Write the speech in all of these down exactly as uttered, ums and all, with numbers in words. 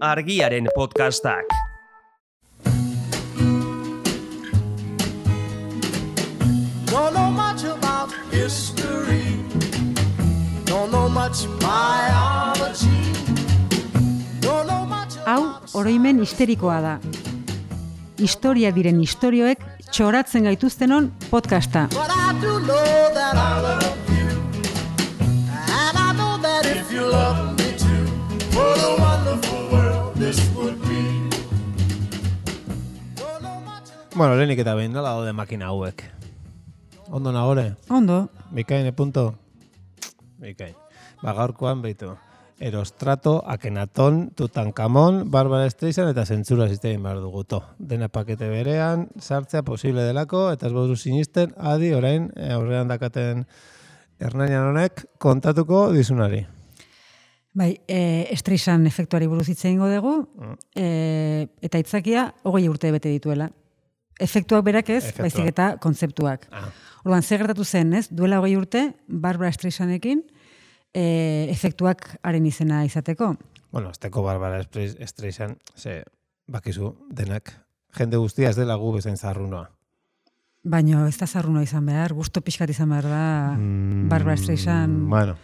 Argiaren podcastak. Don't know much about history. Don't know much biology. Don't know much. Hau oroimen histerikoa da. Historia diren istorioek txoratzen gaituztenon podcasta. But I do know that I love you. And I know that if you love me too, what a wonderful world this would be. Don't know much. Bueno, lehenik eta behin, nola daude makina hauek? Ondo nagore? Ondo. Bikain, punto? Bikain. Ba, gaurkoan behitu. Erostrato, Akenaton, Tutankamon, Barbara Streisand eta zentzura zitein behar duguto. Dena pakete berean, sartzea posible delako, eta ez bauzu sinisten, adi orain aurrean dakaten Hernanian honek kontatuko dizunari. Bai, e, Streisand efektuari buruz hitz egingo dugu, mm. e, eta hitzakia hogei urte bete dituela. Efektuak berak ez, Efektuak. baizik eta kontzeptuak. Ah. Orduan, zer gertatu zen, ez? Duela hogei urte, Barbara Streisandekin, E, efektuak haren izena izateko. Bueno, azteko Barbara Streisand, ze, bakizu, denak, jende guztia ez dela gu bezain zarrunoa. Baina ez da zarruna izan behar, gusto pixkat izan behar da Mm, Barbara Streisand Bueno,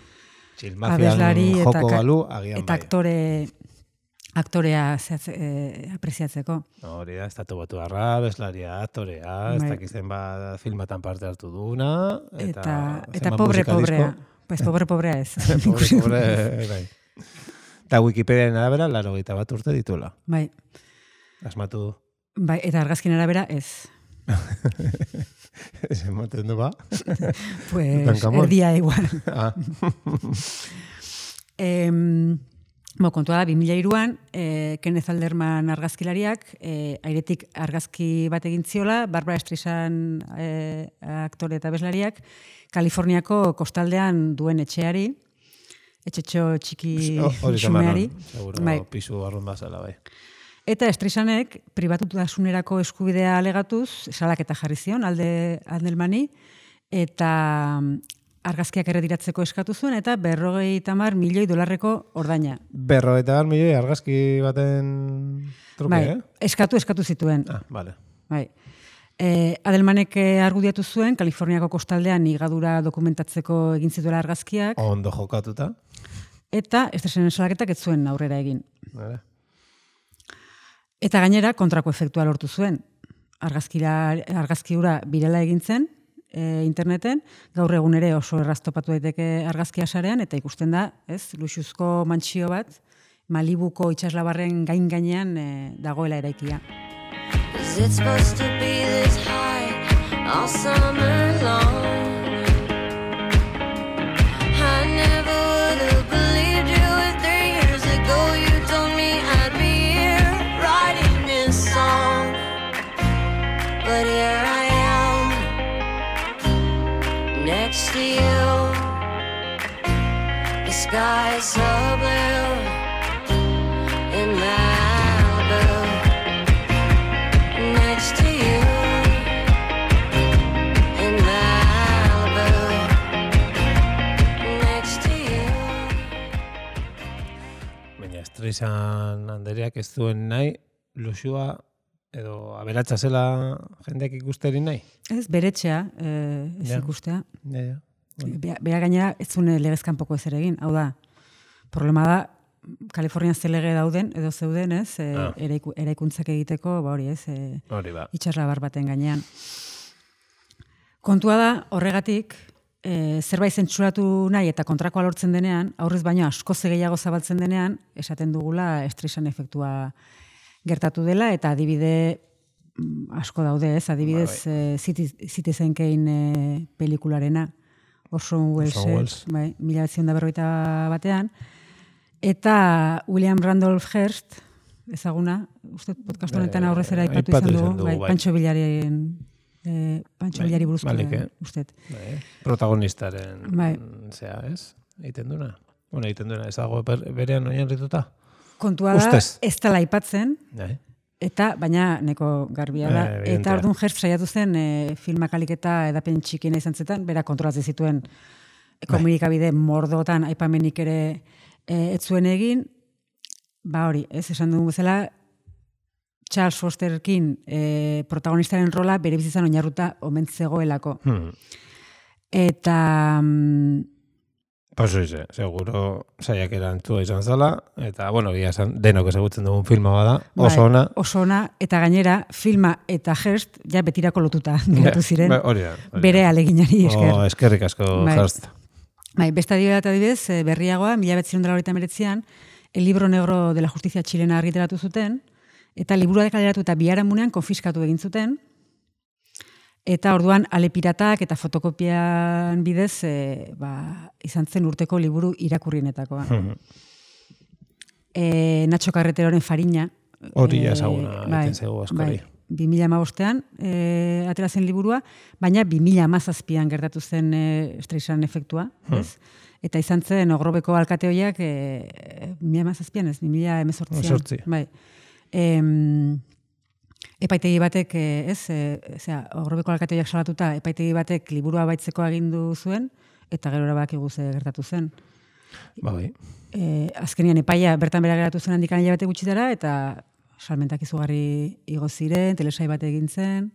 txilmafian abeslari joko eta, ka- balu, agian eta bai. aktore, aktorea zehatze, e, apreziatzeko. Hori da, estatu batu harra, abeslaria, aktorea, ez Bai. dakizen bat filmatan parte hartu duna, eta, Eta, eta zenbat pobre musika pobrea. disko. Pues pobre pobrea ez. pobre, pobre, bai. Eta Wikipediaren arabera, laro gita bat urte dituela. Bai, Asmatu du. bai, eta argazkin arabera ez. Ez ematen du ba. Pues Tutankamon. erdia igual. Ah. Em, Bo, kontua da, bi mila hiruan, e, Kenneth Alderman argazkilariak, e, airetik argazki bat egin ziola, Barbara Streisand e, aktore eta abeslariak, Kaliforniako kostaldean duen etxeari, etxetxo txiki Hori xumeari. zamanon, seguro, Bai. pisu barrun bazala, bai. Eta Streisandek pribatutasunerako eskubidea alegatuz, salaketa jarri zion alde Aldermani, eta argazkiak erretiratzeko eskatu zuen, eta berrogei tamar milioi dolarreko ordaina. Berro eta bar milioi argazki baten truke, Bai, eh? eskatu, eskatu zituen. Ah, vale. Bai. E, Adelmanek eh, argudiatu zuen, Kaliforniako kostaldean higadura dokumentatzeko egin zituela argazkiak, Ondo jokatuta. eta Streisanden salaketak ez zuen aurrera egin. Vale. Eta gainera, kontrako efektua lortu zuen. Argazkira, argazki hura birela egin zen, e, interneten, gaur egun ere oso erraztopatu daiteke argazkia sarean, eta ikusten da, ez, luxuzko mantsio bat, Malibuko itsaslabarren gain gainean e, dagoela eraikia. Is it supposed to be this high all summer long? I never would have believed you if three years ago you told me I'd be here writing this song. But here I am, next to you. The sky is so blue in Malibu. Next to you in Malibu. Next to you. Baina Streisand andereak ez duen nahi, luxua edo aberatsa zela jendeak ikusteri nahi. Ez, beretxea, e, ez Ja. ikustea. Ja, ja. Bea, bea gainera, ez zuen legezkanpoko ezer egin. Hau da, problema da, Kalifornian ze lege dauden, edo zeuden, ez, e, Ah. eraiku, eraikuntzak egiteko, ba hori, ez, e, Hori ba. itxaslabar baten gainean. Kontua da, horregatik, e, zerbait zentsuratu nahi eta kontrakoa lortzen denean, aurrez baino askoz gehiago zabaltzen denean, esaten dugula Streisand efektua gertatu dela, eta adibide mm, asko daude, ez, adibidez e, Citizen Kane e, pelikularena, Orson Welles, Orson Welles. bai, mila bederatziehun eta berrogeita batean, eta William Randolph Hearst, ezaguna, uste podcast honetan Eh, aurrez ere aipatu aipatu izan izan dugu, dugu, bai, bai. Pancho Villaren eh, Pancho Bai, Villari buruzko, balik, eh? ustet. Bai, protagonistaren, Bai. zea, ez? Egiten duna. Bueno, egiten duna, ez dago ber- berean oinarrituta. Kontua da, Ustez. ez dela aipatzen, Bai. eta baina neko garbia da. Eh, evidentea. eta orduan Hearst saiatu zen e, filmak aliketa edapen txikiena izan zetan, bera kontrolatzen zituen komunikabide mordotan aipamenik ere e, ez zuen egin, ba hori, ez esan dugu bezala, Charles Fosterkin e, protagonistaren rola bere bizitzan oinarruta omen zegoelako. Hmm. Eta... Mm, Pues oize, seguro saiak erantzua izan zala, eta, bueno, gira esan, denok ezagutzen dugun filma bada, oso bai, ona. Oso ona, eta gainera, filma eta Hearst, ja betirako lotuta geratu ziren, Ba, hori da, hori da. bere aleginari esker. Oh, eskerrik asko, Bai. Hearst. Bai, beste adibidea eta adibidez, eh, berriagoa, mila betzirun dela horita meretzian, El libro negro de la justizia txilena argitaratu zuten, eta liburua dekaleratu eta biharamunean konfiskatu egin zuten, eta orduan ale piratak eta fotokopian bidez e, ba, izan zen urteko liburu irakurrienetakoa. e, Nacho Carreteroren Farina. Hori e, ezaguna egiten zego askori. bi mila hamabostean e, atera zen liburua, baina bi mila hamazazpian gertatu zen e, Streisand efektua, ez? Eta izan zen Ogrobeko alkateoiak e, bi mila hamazazpian ez, bi mila hemezortzian. Hemezortzi. Bai. Em, epaitegi batek, eh, ez, eh, zera, Ogrobeko alkateoiak salatuta, epaitegi batek liburua baitzeko agindu zuen, eta gerora bakigu ze gertatu zen. Ba, bai. E, azkenian epaia bertan bera geratu zen handikan hilabete gutxitara, eta salmentak izugarri igo ziren, telesai bat egin zen.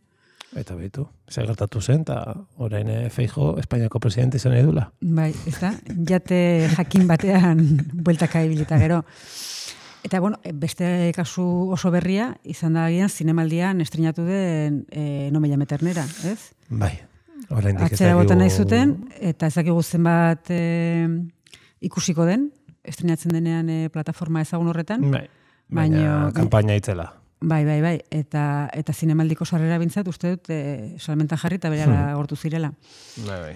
Eta behitu, zer gertatu zen, eta orain eh, Feijo Espainiako presidente izan edula. Bai, ez da, jate jakin batean bueltaka ibilita gero. Eta, bueno, beste kasu oso berria, izan da agian, zinemaldian estrenatu den e, No me llame ternera, ez? Bai, orain dik Atzera bota nahi zuten, eta ez dakigu zenbat e, ikusiko den, estrenatzen denean e, plataforma ezagun horretan. Bai, baina Baino- kanpaina itzela. Bai, bai, bai, eta, eta zinemaldiko sarrera bintzat, uste dut, e, salmentan jarri eta berehala gortu zirela. Bai, bai.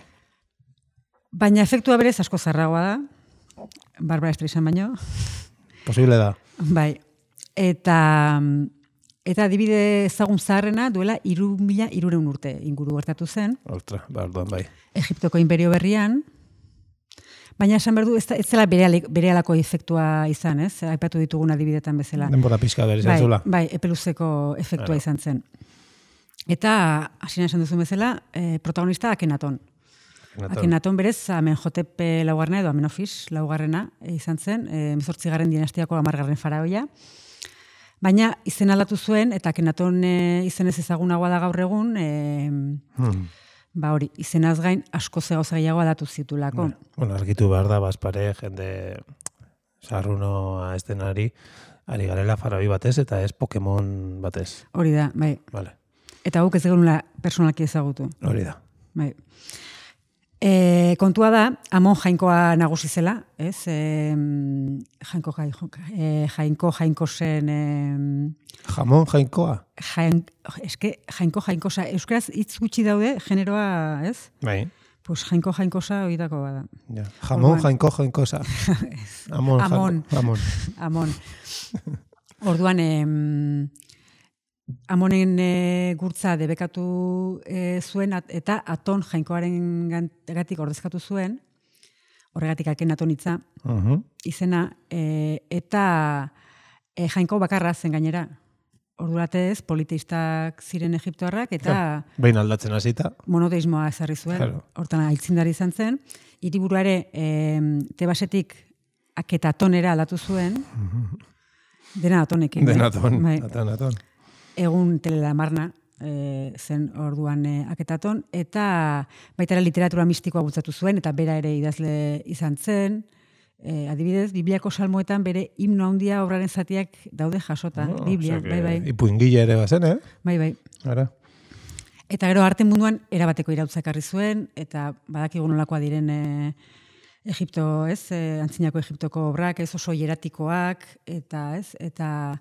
Baina efektua berez asko zarragoa da, Barbara Streisand baino. Posible da. Bai, eta eta adibide ezagun zaharrena duela hiru mila hirurehun urte inguru gertatu zen, Ostra, ba, orduan bai. Egiptoko inperio berrian, baina esan behar du, ez, da- ez zela bere, berehalako efektua izan, ez? Aipatu ditugun adibidetan bezala. Denbora pixka behar izan Bai, zula. bai, epeluzeko efektua Claro. izan zen. Eta, hasieran esan duzun bezala, eh, protagonista Akenaton. Akenaton. Akenaton berez, Amenhotep laugarrena edo Amenofis laugarrena eh, izan zen, eh, hemezortzigarren dinastiako hamargarren faraoia. Baina izen aldatu zuen, eta Akenaton eh, izenez ezagunagoa da gaur egun, eh, Hmm. ba hori, izenaz gain asko gauza gehiago aldatu zitulako. Bueno, argitu behar da, bazpare, jende sarrunoa ez denari, ari garela faraoi batez, eta ez Pokemon batez. Hori da, bai. Vale. Eta guk ez genuela personalki ezagutu. Hori da. Bai. E, kontua da, Amon jainkoa nagusi zela, ez? E, jainko, jainko, e, jainko, jainko zen... E, Jamon jainkoa? jain, eske, jainko, jainkosa, euskaraz hitz gutxi daude, generoa, ez? Bai. Pues jainko, jainkosa oidako bada. Ja. Jamon Orduan- jainko jainkosa. Amon. Amon. jainko- Amon. Amon. Orduan, em, Amonen e, gurtza debekatu e, zuen at- eta Aton jainkoaren gan- gatik ordezkatu zuen, horregatik Akenaton hitza, Uh-huh. izena, e, eta e, jainko bakarra zen gainera. Orduratez, politeistak ziren egiptoarrak, eta Behin aldatzen hasita. monoteismoa ezarri zuen. Claro. Hortan aitzindari izan zen. Hiriburua ere, e, Tebasetik Aketatonera aldatu zuen, dena Atonekin. Den eh? aton. Bai. Aton, aton. Egun telelamarna e, zen orduan e, Aketaton, eta baita ere literatura mistikoa bultzatu zuen, eta bera ere idazle izan zen. E, adibidez, Bibliako salmoetan bere himno handia obraren zatiak daude jasota. Oh, Biblia, osea que bai, bai, Ipuingile ere bazen, eh? bai, bai. Ara. Eta gero arte munduan erabateko irautza ekarri zuen, eta badakigu nolakoa diren e, Egipto, ez, e, antzinako Egiptoko obrak, ez oso hieratikoak, eta ez, eta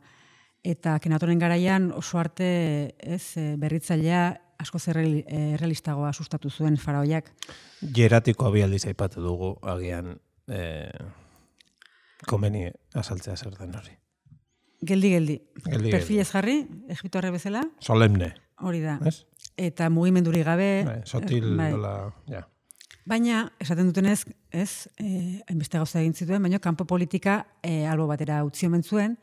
eta Akenatonen garaian oso arte, ez, e, berritzailea asko errealistagoa sustatu zuen faraoiak. Jeratiko abialdiz aipatu dugu, agian eh, komeni azaltzea zer den hori. Geldi, geldi. Geldi, Perfilez jarri, Egiptoarre bezala, Solemne, hori da. ez? Eta mugimenduri gabe. Bai, sotil, bai. dola, ja. Baina, esaten dutenez, ez, eh, hainbeste gauza egin zituen, baina kanpo politika eh, albo batera utzi omen zuen,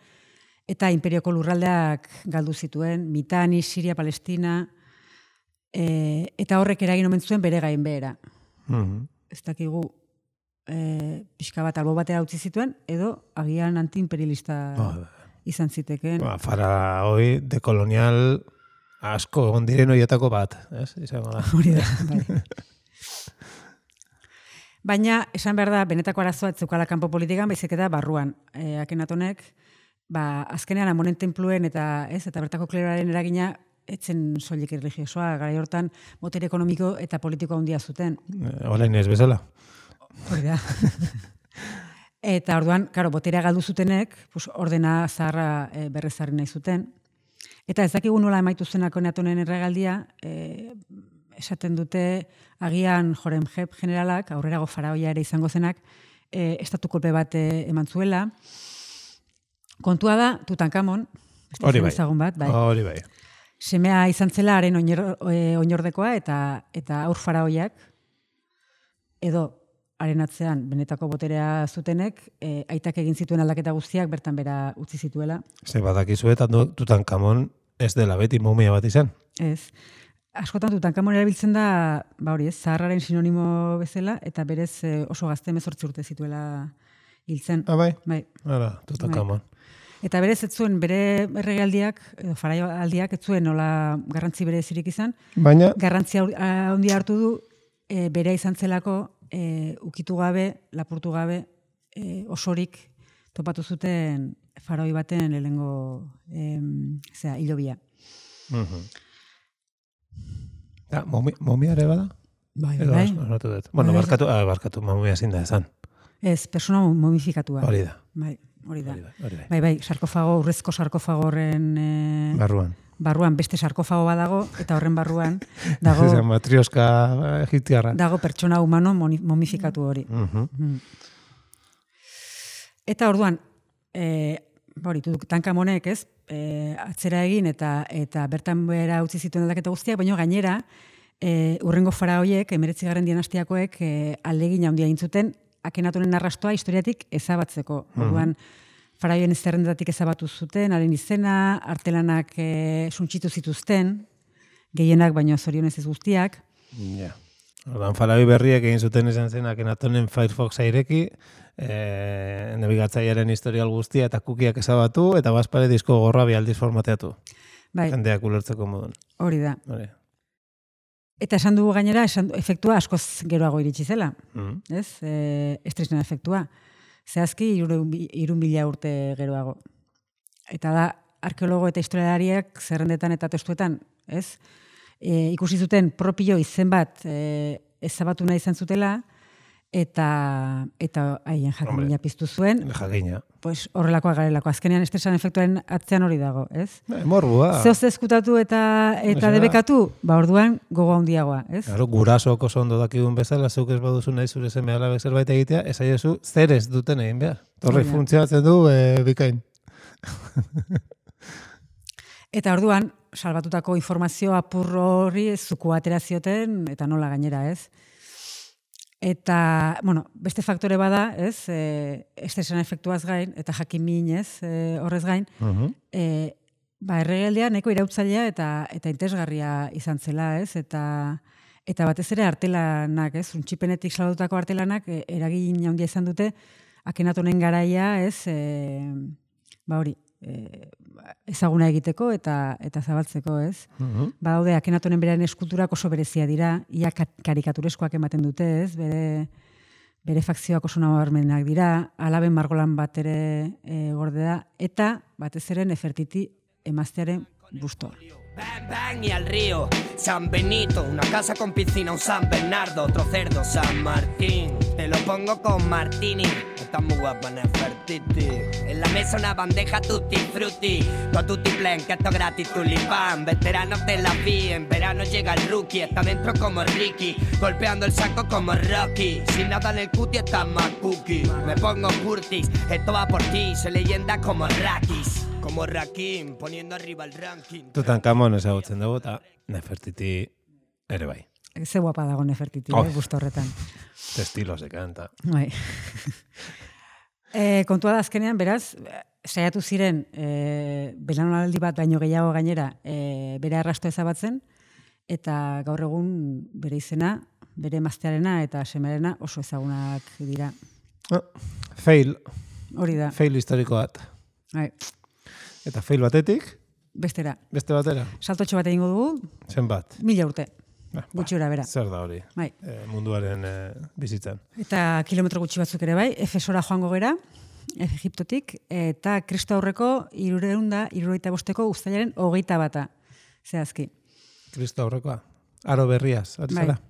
eta imperioko lurraldeak galdu zituen, Mitani, Siria, Palestina, eh, eta horrek eragin omen zuen bere gainbehera. Mhm. Ez dakigu e, pixka bat albo batera utzi zituen, edo agian antiimperialista Ba, izan zitekeen. ba, faraoi dekolonial asko egon diren horietako bat, ez? Izango da. Hori da, bai. Baina, esan behar da, benetako arazoa ez zeukala kanpo politikan, baizik eta barruan. E, Akenatonek, ba, azkenean amonen tenpluen eta ez, eta bertako kleroaren eragina etzen soilik erligiosoa, garai hortan botere ekonomiko eta politiko handia zuten. Olain ez bezala. Hori da. Eta orduan, karo, boterea galdu zutenek, pues, ordena zaharra e, berrezarri nahi zuten. Eta ez dakigu nola emaitu zen Akenatonen erregaldia, e, esaten dute agian Horemheb generalak, aurrerago faraoia ere izango zenak, e, estatu kolpe bat e, eman zuela. Kontua da, Tutankamon, Hori bai. ezagun bat, bai. Hori bai. Semea izan zela haren oinor, e, oinordekoa eta eta aur faraoiak, edo haren atzean benetako boterea zutenek, e, aitak egin zituen aldaketa guztiak bertan bera utzi zituela. Ze badakizu eta Tutankamon ez dela beti momia bat izan. Ez. Askotan Tutankamon erabiltzen da, ba hori ez, zaharraren sinonimo bezala, eta berez e, oso gazte hemezortzi urte zituela hiltzen. Ah, bai? Bai. Hala, Tutankamon. Eta berez ez zuen bere erregealdiak, edo faraioaldiak ez zuen nola garrantzi berezirik izan. Baina, Garrantzi handia hartu du, e, berea izan zelako, e, ukitu gabe, lapurtu gabe, e, osorik topatu zuten faroi baten lehengo em, zera, hilobia. mhm. Da, momi, momia ere bada? Bai, Edo bai. asmatu dut. Bueno, Bai, barkatu, ah, barkatu, momia ezin da esan. Ez, persona momifikatua. Hori da. Bai, hori da. Hori da, hori da. Bai, bai, sarkofago, urrezko sarkofago horren e, Barruan. barruan beste sarkofago badago, eta horren barruan dago, Dago, matrioska egiptiarra. dago pertsona humano moni- momifikatu hori. Mhm. Mm. Eta orduan, e, hori, Tutankamonek, ez, e, atzera egin eta eta bertan bera utzi zituen aldaketa guztiak, baina gainera, e, urrengo faraoiek, emeretzigarren dinastiakoek, e, ahalegin handia egin zuten Akenatonen arrastoa historiatik ezabatzeko. Orduan, faraoien zerrendatik ezabatu zuten, haren izena, artelanak e, suntsitu zituzten, gehienak, baina zorionez ez guztiak. Ja. Ordan faraoi berriek egin zuten esan zen Akenatonen Firefoxa ireki, eh, nabigatzailearen historial guztia eta kukiak ezabatu, eta bazpare disko gorra bi aldiz formateatu. Bai, Jendeak ulertzeko modun. hori da. Hori. Eta esan dugu gainera, esan, efektua askoz geroago iritsi zela. Mhm. Ez? E, estresna efektua. Zehazki, irun mila urte geroago. Eta da, arkeologo eta historialariak zerrendetan eta testuetan, ez? E, ikusi zuten propio izen bat e, ezabatu nahi izan zutela, eta eta haien jakimina Hombre. piztu zuen, Jakina. pues horrelakoa garelako. Azkenean estresan efektuaren atzean hori dago, ez? Eh, Morbua. Zehoz ezkutatu eta eta Osea, debekatu, ba orduan gogo handiagoa, ez? Claro, gurasok oso ondo dakigun bezala, zuk ez baduzu nahi zure seme alabek zerbait egitea, esaiezu zer ez duten egin behar. Torre Hori da. funtzionatzen du e, bikain. Eta orduan, salbatutako informazio apur horri zuku atera zioten, eta nola gainera, ez? Eta, bueno, beste faktore bada, ez? E, estresan efektuaz gain, eta jakin ez? E, horrez gain, Mhm. e, ba, erregeldea nahiko irautzailea eta eta interesgarria izan zela, ez? Eta eta batez ere artelanak, ez? Untxipenetik salbatutako artelanak e, eragin handia izan dute Akenatonen garaia, ez? E, ba hori, e, ezaguna egiteko eta eta zabaltzeko, ez? Mhm. Badaude Akenatonen beraren eskulturak oso berezia dira, ia ka- karikatureskoak ematen dute, ez? Bere bere fakzioak oso nabarmenak dira, alaben margolan bat ere e, gorde da, eta batez ere Nefertiti emaztearen bustoa. Bang, bang y al río, San Benito, una casa con piscina, un San Bernardo, otro cerdo, San Martín. Te lo pongo con Martini, está muy guapa Nefertiti. En la mesa una bandeja tutti frutti, con tutti plen, que esto es gratis, tulipán. Veteranos de la vi, en verano llega el rookie, está dentro como Ricky, golpeando el saco como Rocky. Sin nada en el cutie está más cookie. Me pongo Curtis, esto va por ti, soy leyenda como Rakis. Como Rakim, poniendo arriba el ranking. Tutankamon ezagutzen dugu, eta Nefertiti ere bai. Ze guapa dago Nefertiti, Oh. eh, busto horretan. Testilo se kanta. Bai. e, kontua da azkenean, beraz, saiatu ziren e, belaunaldi bat baino gehiago gainera e, bere arrasto ezabatzen, eta gaur egun bere izena bere emaztearena eta semearena oso ezagunak dira. Ah, fail, Hori da. fail historiko bat. Bai, Eta fail batetik, bestera. beste batera. Saltotxo bat egingo dugu, Zenbat? mila urte. Ba, Gutxi ora bera. Zer da hori? Bai. E, munduaren e, bizitzan. Eta kilometro gutxi batzuk ere bai, Efesora joango gera, Egiptotik, eta Kristo aurreko hirureun da, hirurogeita bosteko uztailaren hogeita bata. Zehazki. Kristo aurrekoa. Aro berriaz, ari Bai. zara?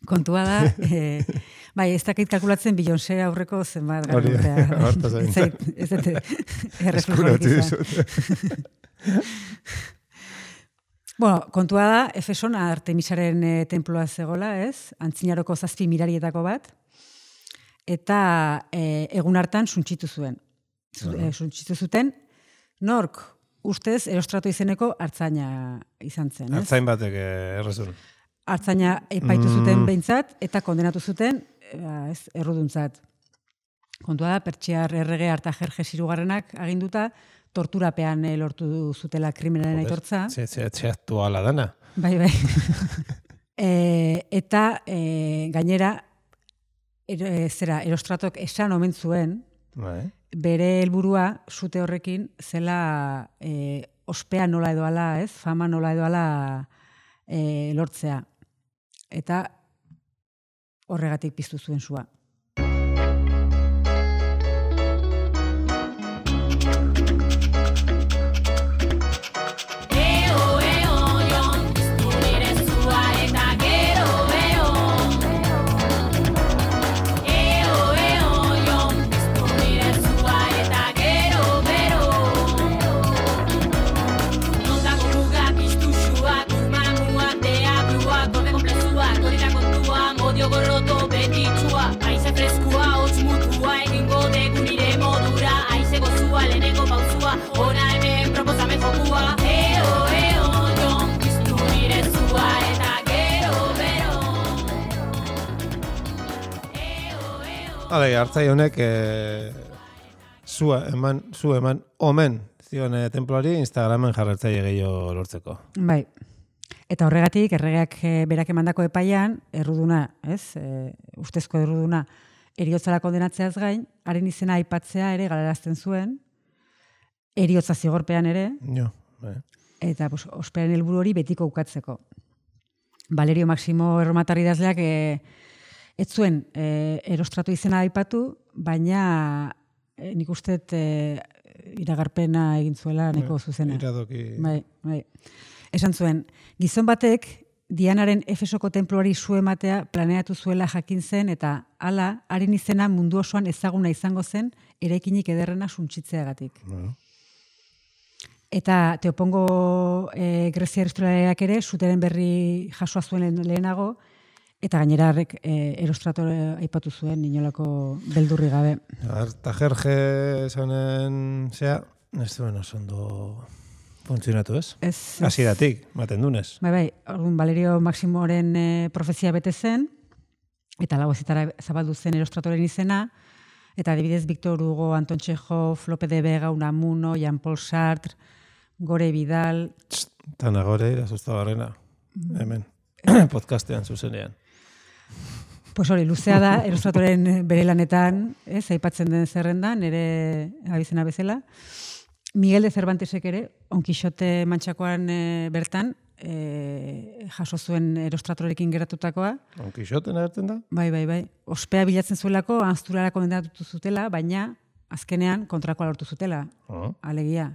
Kontua da, e, bai, ez dakit kalkulatzen Beyoncé aurreko zenbat gara Hori, urtea. hortaz egin. Ez zait, ez dut erreflejorik izan. Bueno, kontua da, Efeson Artemisaren e, temploa zegola, ez? Antzinaroko zazpi mirarietako bat, eta e, egun hartan suntxitu zuen. Zu, e, suntxitu zuten, nork ustez Erostrato izeneko hartzaina izan zen, ez? Artzain batek eh, errezun. Hartzaina epaitu zuten behintzat, eta kondenatu zuten, e, ez, erruduntzat. Kontua da, Pertsiar errege Artajerjes hirugarrenak aginduta, torturapean eh, lortu zutela krimenaren aitortza. Ze, ze, ze aktuala dana. Bai, bai. e, eta e, gainera, er, e, zera, Erostratok esan omen zuen, Bai. bere helburua sute horrekin zela e, ospea nola edoala, ez? Fama nola edoala e, lortzea. Eta horregatik piztu zuen sua. Hale, hartzai honek e, zua eman, zu eman omen zion e, temploari Instagramen jarratzaile gehiago lortzeko. Bai. Eta horregatik, erregeak e, berak emandako epaian, erruduna, ez? E, ustezko erruduna, eriotzara kondenatzeaz gain, haren izena aipatzea ere galarazten zuen, eriotza zigorpean ere, Jo, bai. eta pues, ospearen helburu hori betiko ukatzeko. Valerio Maximo erromatar idazleak e, ez zuen e, Erostrato izena aipatu, baina e, nik usteet e, iragarpena egin zuela neko zuzena. Iradoki. Bai, bai. Esan zuen, gizon batek Dianaren Efesoko tenpluari su ematea planeatu zuela jakin zen eta hala haren izena mundu osoan ezaguna izango zen eraikinik ederrena suntsitzeagatik. Bueno. Eta Teopongo e, Grezia historialariak ere zuteren berri jasoa zuen lehenago, eta gainera harrek e, Erostrato aipatu zuen inolako beldurri gabe. Artajerje esanen, zea, ez duen oso ondo funtzionatu ez? Ez, ez. Hasieratik, maten dunez. Bai, bai, orduan Valerio Maximoren e, profezia bete zen, eta lau ezitara zabaldu zen Erostratoren izena, eta adibidez Victor Hugo, Anton Txehov, Lope de Vega, Unamuno, Jean-Paul Sartre, Gore Vidal... Tana gore, irasusta barrena, hemen, podcastean zuzenean. Pues hori, luzea da, Erostratoren bere lanetan, ez, aipatzen den zerrendan, nire abizena bezala. Miguel de Cervantesek ere, Don Quixote Mantxakoan e, bertan, e, jaso zuen Erostratorekin geratutakoa. Don Quixoten agertzen da? Bai, bai, bai. Ospea bilatzen zuelako, Ansturara kondenatu zutela, baina azkenean kontrakoa lortu zutela. Oh. Alegia.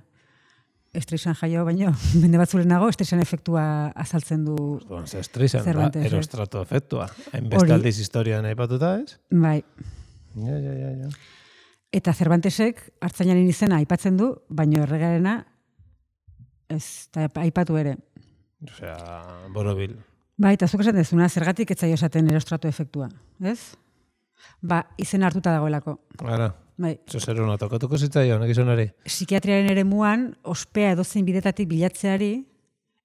Estreixan jaio, baino, mende batzulenago, estreixan efektua azaltzen du. Orduan, ze estrizan, da, Cervantes, Erostrato efektua. Hainbeste Hori. aldiz historian aipatuta, ez? Bai. Ja, ja, ja, ja. Eta Cervantesek hartzainaren izena aipatzen du, baino erregearena ez da aipatu ere. Osea, borobil. Bai, eta zuk esaten dezuna, zergatik ez zaio esaten Erostrato efektua, ez? Ba, izena hartuta dagoelako. Ara, Bai. zer hona tokatuko zitzaion, egizonari. Psikiatriaren eremuan, ospea edozein bidetatik bilatzeari,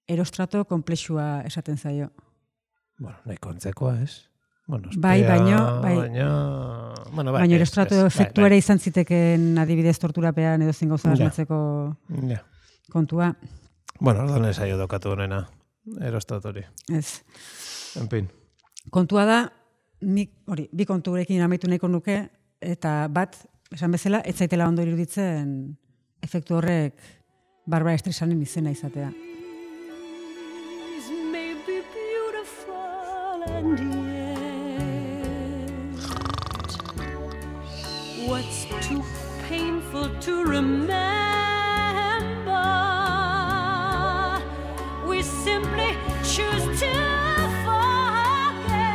Erostrato konplexua esaten zaio. Bueno, nahi kontzekoa, ez? Bueno, Bai, ospea, baino, bai. Baina, bueno, bai, Baina ez, Erostrato ez, efektu bai, ere izan ziteken adibidez torturapean edozein gauza Ja. asmatzeko bai. Ja. kontua. Bueno, ordan ez aio dokatu honena. erostatori. Ez. En fin. Kontua da, nik, hori, bi kontu gurekin amaitu nahiko nuke, eta bat, esan bezala, ez zaitela ondo iruditzen efektu horrek Barbara Streisanen izena izatea. May be beautiful and yet what's too painful to remember, we simply choose to forget.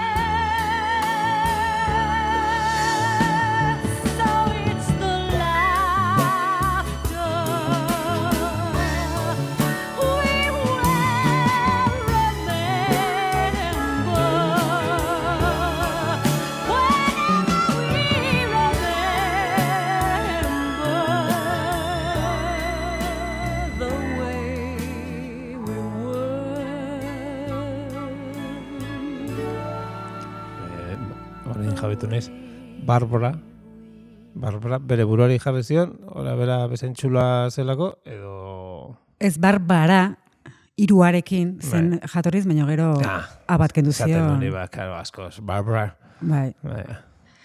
So it's the laughter we will remember whenever we remember the way we were. Horrein jabetu naiz. Barbara, Barbara, bere buruari jarri zion, ora bera bezentxula zelako, edo... Ez Barbara, hiruarekin zen jatorriz, baina gero Ah, abat kendu Zaten zion. hori ba, karo, askoz. Barbara. Bai. Bai,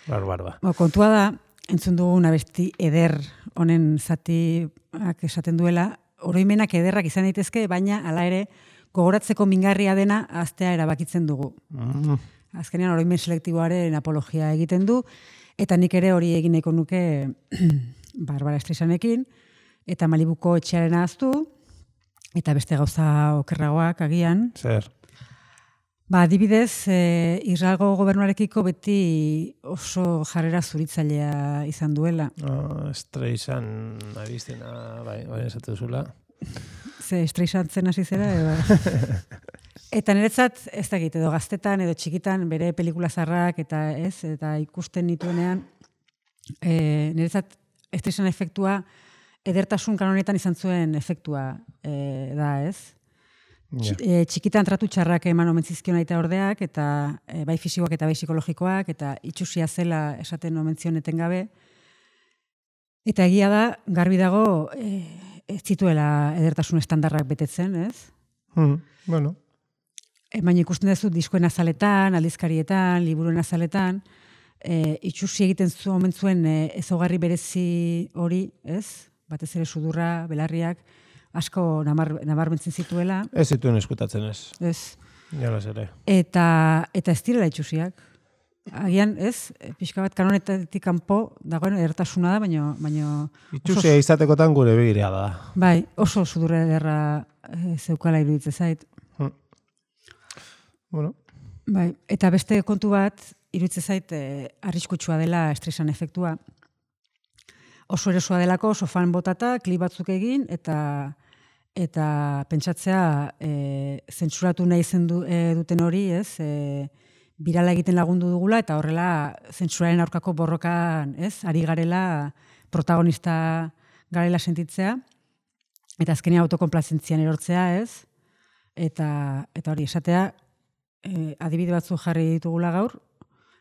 Barbara ba. Bo, kontua da, entzun dugun abesti eder honen zatiak esaten duela, oroimenak ederrak izan daitezke, baina hala ere gogoratzeko mingarria dena aztea erabakitzen dugu. Mm. Azkenean oroimen selektiboaren apologia egiten du, eta nik ere hori egin nahiko nuke Barbara Streisanekin, eta Malibuko etxearen ahaztu, eta beste gauza okerragoak agian. Zer. Ba, adibidez, e, Israelgo gobernuarekiko beti oso jarrera zuritzailea izan duela. Oh, Streisan abiztena, bai, bai esatu zula. Ze estreisantzen hasi zera, edo... Eta niretzat, ez dakit, edo gaztetan, edo txikitan, bere pelikula zarrak, eta ez, eta ikusten nituenean, e, niretzat, estreisan efektua, edertasun kanonetan izan zuen efektua e, da, ez? Ja. E, txikitan tratu txarrak eman omen zizkion aita ordeak, eta e, bai fisikoak eta bai psikologikoak, eta itxusia zela esaten omen zion etengabe. Eta egia da, garbi dago, e, ez zituela edertasun estandarrak betetzen, ez? Mm, bueno. E, baina ikusten duzu diskoen azaletan, aldizkarietan, liburuen azaletan, e, itxusi egiten zu omen zuen e, ezaugarri berezi hori, ez? Batez ere sudurra, belarriak, asko namar, nabarmentzen zituela, Ez zituen eskutatzen ez. ez? Jolas ere. Eta, eta ez direla itxusiak. Agian, ez? E, Pixka bat kanonetatik kanpo dagoen edertasuna da, baina... baina Itxusia izatekotan gure begirea da. bai, oso sudurra ederra e, zeukala iruditzen zait. Mm. Bueno, Bai, eta beste kontu bat, iruditzen zait, e, arriskutsua dela estresan efektua. Oso erosoa delako, sofan botata, klip batzuk egin, eta eta pentsatzea e, zentsuratu nahi zen du, e, duten hori, ez? E, birala egiten lagundu dugula, eta horrela zentsuraren aurkako borrokan, ez? Ari garela, protagonista garela sentitzea, eta azkenean autokonplazentzian erortzea, ez? Eta, eta hori, esatea, e, adibide batzu jarri ditugula gaur,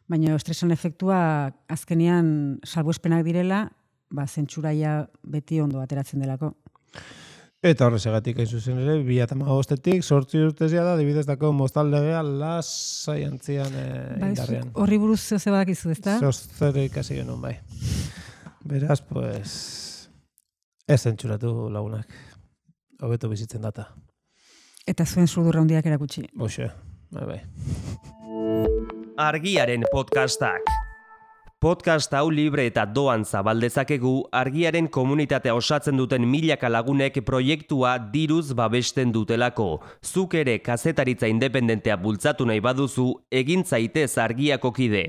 baina estresan efektua azkenean salbuespenak direla, ba, zentsuraia beti ondo ateratzen delako. eta horrezegatik hain zuzen ere, bi mila hamabostetik, sortzi urtezia da, dibidez dako moztaldegea lasai antzian e, Bai, indarrean. zuk horri buruz zeu ze badakizu, ezta? Zozzer ikasi genuen bai. Beraz, pues, ez zentsuratu lagunak. Hobeto bizitzen data. Eta zuen sudurra handiak erakutsi. Hoxe, bai bai. Argiaren podcastak. Podcast hau libre eta doan zabaldezakegu argiaren komunitatea osatzen duten milaka lagunek proiektua diruz babesten dutelako. Zuk ere kazetaritza independentea bultzatu nahi baduzu, egin zaitez argiako kide.